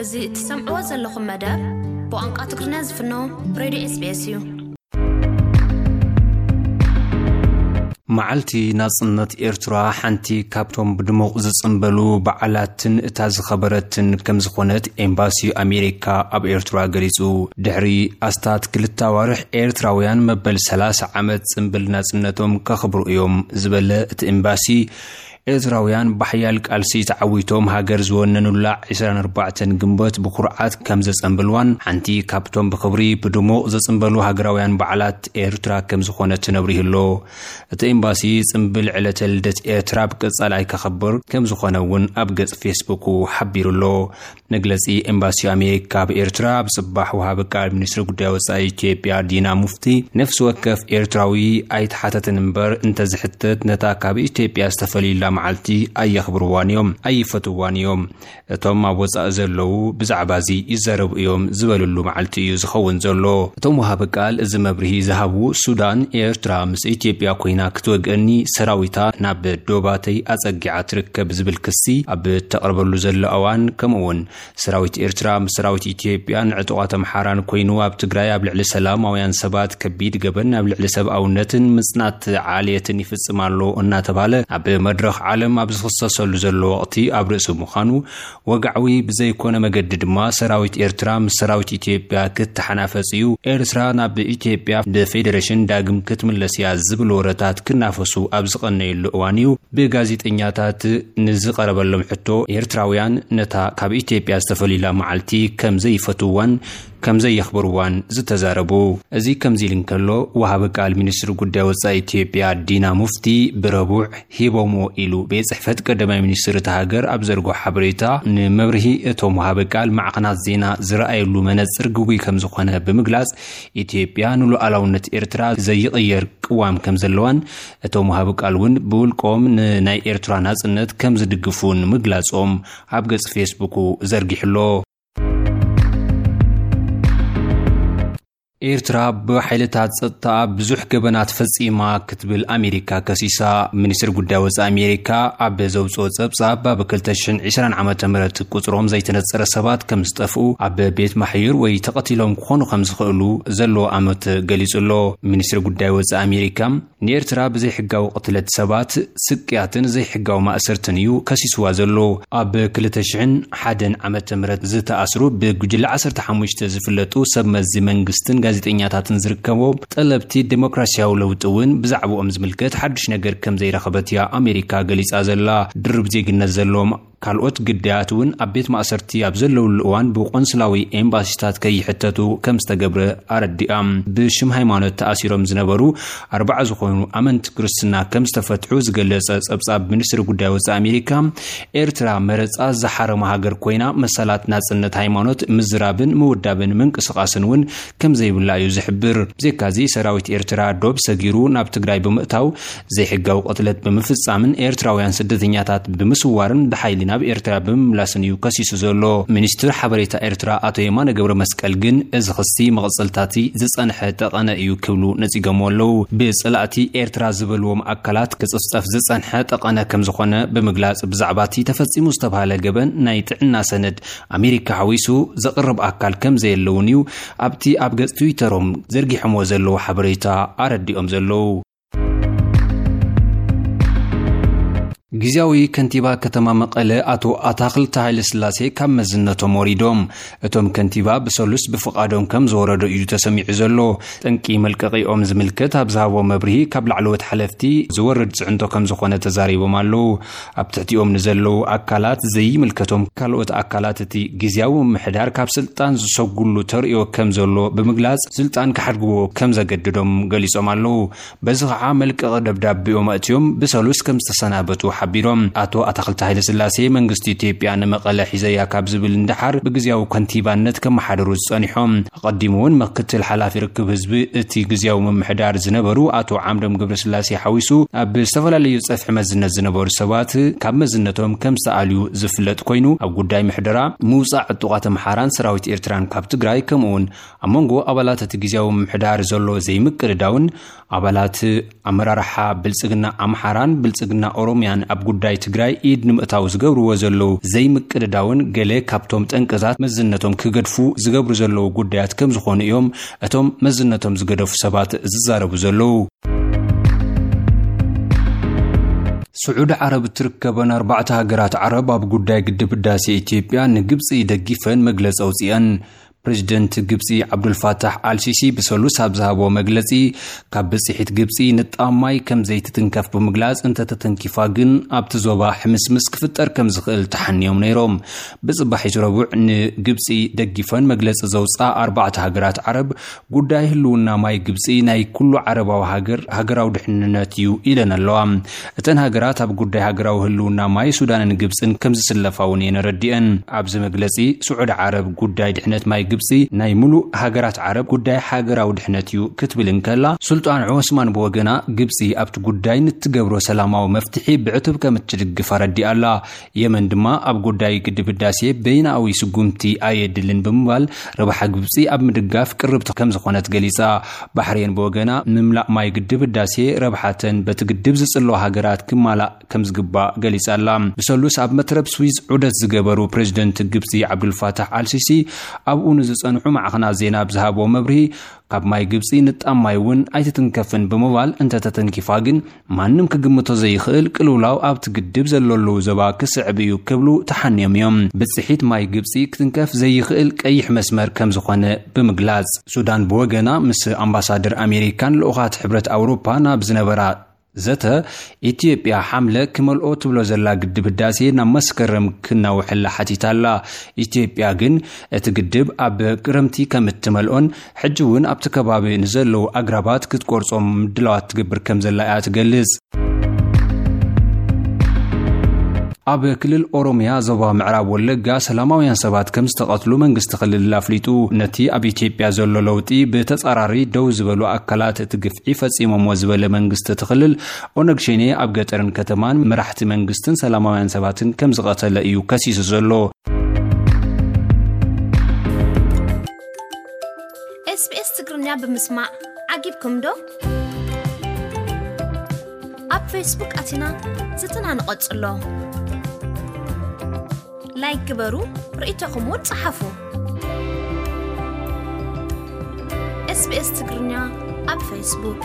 እዚ እትሰምዕዎ ዘለኹም መደብ ብቋንቋ ትግርኛ ዝፍኖ ሬድዮ ኤስቢኤስ እዩ። መዓልቲ ናጽነት ኤርትራ ሓንቲ ካብቶም ብድሙቕ ዝጽንበሉ በዓላትን እታ ዝኸበረትን ከም ዝኾነት ኤምባሲ ኣሜሪካ ኣብ ኤርትራ ገሊጹ። ድሕሪ ኣስታት ክልተ ኣዋርሕ ኤርትራውያን መበል ሰላሳ ዓመት ጽንብል ናጽነቶም ከኽብሩ እዮም ዝበለ እቲ ኤምባሲ፣ ኤርትራውያን ብሓያል ቃልሲ ተዓዊቶም ሃገር ዝወነኑላ ዕስራን ኣርባዕተን ግንቦት ብኩርዓት ከም ዘጸንብልዋን ሓንቲ ካብቶም ብኽብሪ ብድሙቕ ዘጽንበሉ ሃገራውያን በዓላት ኤርትራ ከም ዝኾነት ነብሪሁ ኣሎ። እቲ ኤምባሲ ጽንብል ዕለተ ልደት ኤርትራ ብቀጻሊ ኣይከኸብር ከም ዝኾነ እውን ኣብ ገጽ ፌስቡኩ ሓቢሩ ኣሎ። መግለጺ ኤምባሲ ኣሜሪካ ኣብ ኤርትራ ኣብ ጽባሕ ወሃቢ ቃል ሚኒስትሪ ጉዳይ ወጻኢ ኢትዮጵያ ዲና ሙፍቲ፣ ነፍሲ ወከፍ ኤርትራዊ ኣይተሓተትን እምበር እንተዝሕተት ነታ ካብ ኢትዮጵያ ዝተፈልዩላ መዓልቲ ኣየኽብርዋን እዮም፣ ኣይፈትዋን እዮም። እቶም ኣብ ወጻኢ ዘለዉ ብዛዕባ እዚ ይዛረቡ እዮም ዝበልሉ መዓልቲ እዩ ዝኸውን ዘሎ። እቶም ወሃቢ ቃል እዚ መብርሂ ዝሃቡ፣ ሱዳን ኤርትራ ምስ ኢትዮጵያ ኮይና ክትወግአኒ ሰራዊታ ናብ ዶባተይ ኣጸጊዓ ትርከብ ዝብል ክሲ ኣብ እተቕርበሉ ዘሎ እዋን፣ ከምኡ እውን ሰራዊት ኤርትራ ምስ ሰራዊት ኢትዮጵያን ዕጡቓት ኣምሓራን ኮይኑ ኣብ ትግራይ ኣብ ልዕሊ ሰላማውያን ሰባት ከቢድ ገበን ኣብ ልዕሊ ሰብኣውነትን ምጽናት ዓሌትን ይፍጽም ኣሎ እናተባለ ኣብ መድረኽ ዓለም ኣብ ዝኽሰሰሉ ዘሎ ወቕቲ፣ ኣብ ርእሲ ምዃኑ ወግዓዊ ብዘይኮነ መገዲ ድማ ሰራዊት ኤርትራ ምስ ሰራዊት ኢትዮጵያ ክተሓናፈጽ እዩ፣ ኤርትራ ናብ ኢትዮጵያ ብፌዴሬሽን ዳግም ክትምለስ እያ ዝብል ወረታት ክናፈሱ ኣብ ዝቐነየሉ እዋን እዩ ብጋዜጠኛታት ንዝቐረበሎም ሕቶ፣ ኤርትራውያን ነታ ካብ ኢትዮጵያ ዝተፈልዩላ መዓልቲ ከም ዘይፈትውዋን ከም ዘየኽብርዋን ዝተዛረቡ። እዚ ከምዚ ኢሉ እንከሎ፣ ወሃቢ ቃል ሚኒስትሪ ጉዳይ ወጻኢ ኢትዮጵያ ዲና ሙፍቲ ብረቡዕ ሂቦምዎ ኢሉ ቤት ጽሕፈት ቀዳማይ ሚኒስትር እታ ሃገር ኣብ ዘርግሖ ሓበሬታ፣ ንመብርሂ እቶም ወሃቢ ቃል ማዕኸናት ዜና ዝረኣየሉ መነጽር ግጉይ ከም ዝኾነ ብምግላጽ፣ ኢትዮጵያ ንሉዓላውነት ኤርትራ ዘይቕየር ቅዋም ከም ዘለዋን፣ እቶም ወሃቢ ቃል እውን ብውልቆም ንናይ ኤርትራ ናጽነት ከም ዝድግፉን ምግላጾም ኣብ ገጽ ፌስቡኩ ዘርጊሑ ኣሎ። ኤርትራ ብሓይልታት ጸጥታ ብዙሕ ገበናት ፈጺማ ክትብል ኣሜሪካ ከሲሳ። ሚኒስትሪ ጉዳይ ወጻኢ ኣሜሪካ ኣብ ዘውጽኦ ጸብጻብ፣ ኣብ ክልተ ሽሕን ዕስራን ዓመተ ምህረት ቁጽሮም ዘይተነጸረ ሰባት ከም ዝጠፍኡ፣ ኣብ ቤት ማሕዩር ወይ ተቐቲሎም ክኾኑ ከም ዝኽእሉ ዘለዎ ኣመት ገሊጹ ኣሎ። ሚኒስትሪ ጉዳይ ወጻኢ ኣሜሪካ፣ ንኤርትራ ብዘይሕጋዊ ቅትለት ሰባት፣ ስቅያትን ዘይሕጋዊ ማእሰርትን እዩ ከሲስዋ ዘሎ። ኣብ ክልተ ሽሕን ሓደን ዓመተ ምህረት ዝተኣስሩ ብጉጅለ ዓሰርተ ሓሙሽተ ዝፍለጡ ሰብ መዚ መንግስትን ጋዜጠኛታትን ዝርከቦም ጠለብቲ ዴሞክራሲያዊ ለውጢ እውን ብዛዕባኦም ዝምልከት ሓድሽ ነገር ከም ዘይረኸበት እያ ኣሜሪካ ገሊጻ ዘላ። ድርብ ዜግነት ዘለዎም ካልኦት ግዳያት እውን ኣብ ቤት ማእሰርቲ ኣብ ዘለውሉ እዋን ብቆንስላዊ ኤምባሲታት ከይሕተቱ ከም ዝተገብረ ኣረዲኣ። ብሽም ሃይማኖት ተኣሲሮም ዝነበሩ ኣርባዓ ዝኾኑ ኣመንቲ ክርስትና ከም ዝተፈትሑ ዝገለጸ ጸብጻብ ሚኒስትሪ ጉዳይ ወጻኢ ኣሜሪካ፣ ኤርትራ መረጻ ዝሓረመ ሃገር ኮይና፣ መሰላት ናጽነት ሃይማኖት ምዝራብን ምውዳብን ምንቅስቃስን እውን ከም ዘይብላ እዩ ዝሕብር። ብዘይካዚ፣ ሰራዊት ኤርትራ ዶብ ሰጊሩ ናብ ትግራይ ብምእታው፣ ዘይሕጋዊ ቅትለት ብምፍጻምን ኤርትራውያን ስደተኛታት ብምስዋርን ብሓይሊ ናብ ኤርትራ ብምምላስን እዩ ከሲሱ ዘሎ። ሚኒስትር ሓበሬታ ኤርትራ ኣቶ የማነ ገብረ መስቀል ግን፣ እዚ ክሲ መቐጸልታቲ ዝጸንሐ ጠቐነ እዩ ክብሉ ነጺጎምዎ ኣለዉ። ብጸላእቲ ኤርትራ ዝበልዎም ኣካላት ክጽፍጸፍ ዝጸንሐ ጠቐነ ከም ዝኾነ ብምግላጽ፣ ብዛዕባ እቲ ተፈጺሙ ዝተባህለ ገበን ናይ ጥዕና ሰነድ ኣሜሪካ ሓዊሱ ዘቕርብ ኣካል ከም ዘየለ እውን እዩ ኣብቲ ኣብ ገጽ ትዊተሮም ዘርጊሖምዎ ዘለዉ ሓበሬታ ኣረዲኦም ዘለዉ። ግዝያዊ ከንቲባ ከተማ መቐለ ኣቶ ኣታኽልቲ ሃይለስላሴ ካብ መዝነቶም ወሪዶም። እቶም ከንቲባ ብሰሉስ ብፍቓዶም ከም ዝወረዱ እዩ ተሰሚዑ ዘሎ። ጠንቂ መልቀቂኦም ዝምልከት ኣብ ዝሃቦ መብርሂ፣ ካብ ላዕለዎት ሓለፍቲ ዝወርድ ጽዕንቶ ከም ዝኾነ ተዛሪቦም ኣለዉ። ኣብ ትሕቲኦም ንዘለዉ ኣካላት ዘይምልከቶም ካልኦት ኣካላት እቲ ግዝያዊ ምምሕዳር ካብ ስልጣን ዝሰጉሉ ተርእዮ ከም ዘሎ ብምግላጽ፣ ስልጣን ክሓድግዎ ከም ዘገድዶም ገሊጾም ኣለዉ። በዚ ኸዓ መልቀቂ ደብዳቤኦም ኣእትዮም ብሰሉስ ከም ዝተሰናበቱ ሓቢሮም። ኣቶ ኣታኽልቲ ሃይለስላሴ፣ መንግስቲ ኢትዮጵያ ንመቐለ ሒዘያ ካብ ዝብል ንደሓር ብግዝያዊ ከንቲባነት ከመሓድሩ ዝጸኒሖም። ኣቐዲሙ እውን ምክትል ሓላፊ ርክብ ህዝቢ እቲ ግዝያዊ ምምሕዳር ዝነበሩ ኣቶ ዓምዶም ገብረስላሴ ሓዊሱ ኣብ ዝተፈላለዩ ጸፍሒ መዝነት ዝነበሩ ሰባት ካብ መዝነቶም ከም ዝተኣልዩ ዝፍለጥ ኮይኑ፣ ኣብ ጉዳይ ምሕደራ፣ ምውጻእ ዕጡቓት ኣምሓራን ሰራዊት ኤርትራን ካብ ትግራይ፣ ከምኡ እውን ኣብ መንጎ ኣባላት እቲ ግዝያዊ ምምሕዳር ዘሎ ዘይምቅድዳውን ኣባላት ኣመራርሓ ብልጽግና ኣምሓራን ብልጽግና ኦሮምያን ኣብ ጉዳይ ትግራይ ኢድ ንምእታው ዝገብርዎ ዘለዉ ዘይምቅድዳውን ገለ ካብቶም ጠንቅታት መዝነቶም ክገድፉ ዝገብሩ ዘለዉ ጉዳያት ከም ዝኾኑ እዮም እቶም መዝነቶም ዝገደፉ ሰባት ዝዛረቡ ዘለዉ። ስዑዲ ዓረብ እትርከበን ኣርባዕተ ሃገራት ዓረብ ኣብ ጉዳይ ግድብ ህዳሴ ኢትዮጵያ ንግብፂ ይደግፈን መግለፂ ኣውፅአን። ፕሬዚደንት ግብፂ ዓብዱልፋታሕ ኣልሲሲ ብሰሉስ ኣብ ዝሃቦ መግለፂ፣ ካብ ብፅሒት ግብፂ ንጣብ ማይ ከም ዘይትትንከፍ ብምግላፅ፣ እንተተተንኪፋ ግን ኣብቲ ዞባ ሕምስምስ ክፍጠር ከም ዝኽእል ተሓንዮም ነይሮም። ብፅባሒት ረቡዕ ንግብፂ ደጊፈን መግለፂ ዘውፅኣ ኣርባዕተ ሃገራት ዓረብ፣ ጉዳይ ህልውና ማይ ግብፂ ናይ ኩሉ ዓረባዊ ሃገር ሃገራዊ ድሕንነት እዩ ኢለን ኣለዋ። እተን ሃገራት ኣብ ጉዳይ ሃገራዊ ህልውና ማይ ሱዳንን ግብፅን ከም ዝስለፋ እውን እየን ኣረዲአን። ኣብዚ መግለፂ፣ ስዑዲ ዓረብ ጉዳይ ድሕነት ማይ ግብፂ ናይ ሙሉእ ሃገራት ዓረብ ጉዳይ ሃገራዊ ድሕነት እዩ ክትብል እንከላ፣ ሱልጣን ዑስማን ብወገና፣ ግብፂ ኣብቲ ጉዳይ ንትገብሮ ሰላማዊ መፍትሒ ብዕቱብ ከም እትድግፍ ኣረዲኣ ኣላ። የመን ድማ ኣብ ጉዳይ ግድብ ህዳሴ በይናዊ ስጉምቲ ኣየድልን ብምባል፣ ረብሓ ግብፂ ኣብ ምድጋፍ ቅርብቲ ከም ዝኾነት ገሊፃ። ባሕሬን ብወገና፣ ምምላእ ማይ ግድብ ህዳሴ ረብሓተን በቲ ግድብ ዝፅለዋ ሃገራት ክማላእ ከም ዝግባእ ገሊጻ ኣላ። ብሰሉስ ኣብ መትረብ ስዊዝ ዑደት ዝገበሩ ፕሬዚደንት ግብጺ ዓብዱልፋታሕ ኣልሲሲ፣ ኣብኡ ንዝጸንሑ ማዕኸናት ዜና ኣብ ዝሃብዎ መብርሂ፣ ካብ ማይ ግብጺ ንጣብ ማይ እውን ኣይትትንከፍን ብምባል፣ እንተተተንኪፋ ግን ማንም ክግምቶ ዘይኽእል ቅልውላው ኣብቲ ግድብ ዘለሉ ዞባ ክስዕብ እዩ ክብሉ ተሓንዮም እዮም። ብጽሒት ማይ ግብጺ ክትንከፍ ዘይኽእል ቀይሕ መስመር ከም ዝኾነ ብምግላጽ፣ ሱዳን ብወገና ምስ ኣምባሳደር ኣሜሪካን ልኡኻት ሕብረት ኣውሮፓ ናብ ዝነበራ ዘተ፣ ኢትዮጵያ ሓምለ ክመልኦ ትብሎ ዘላ ግድብ ህዳሴ ናብ መስከረም ክናውሐላ ሓቲታ ኣላ። ኢትዮጵያ ግን እቲ ግድብ ኣብ ክረምቲ ከም እትመልኦን ሕጂ እውን ኣብቲ ከባቢ ንዘለዉ ኣግራባት ክትቆርጾም ምድላዋት ትገብር ከም ዘላ እያ ትገልጽ። ኣብ ክልል ኦሮሚያ ዞባ ምዕራብ ወለጋ ሰላማውያን ሰባት ከም ዝተቐትሉ መንግስቲ ክልል ኣፍሊጡ። ነቲ ኣብ ኢትዮጵያ ዘሎ ለውጢ ብተጻራሪ ደው ዝበሉ ኣካላት እቲ ግፍዒ ፈጺሞምዎ ዝበለ መንግስቲ እቲ ክልል፣ ኦነግ ሸኔ ኣብ ገጠርን ከተማን መራሕቲ መንግስትን ሰላማውያን ሰባትን ከም ዝቐተለ እዩ ከሲሱ ዘሎ። ኤስቢኤስ ትግርኛ ብምስማዕ ዓጊብኩም ዶ? ኣብ ፌስቡክ ኣቲና ዝትና ንቐጽሎ። ላይክ ግበሩ፣ ርእይቶኹም እውን ጸሓፉ። ኤስቢኤስ ትግርኛ ኣብ ፌስቡክ።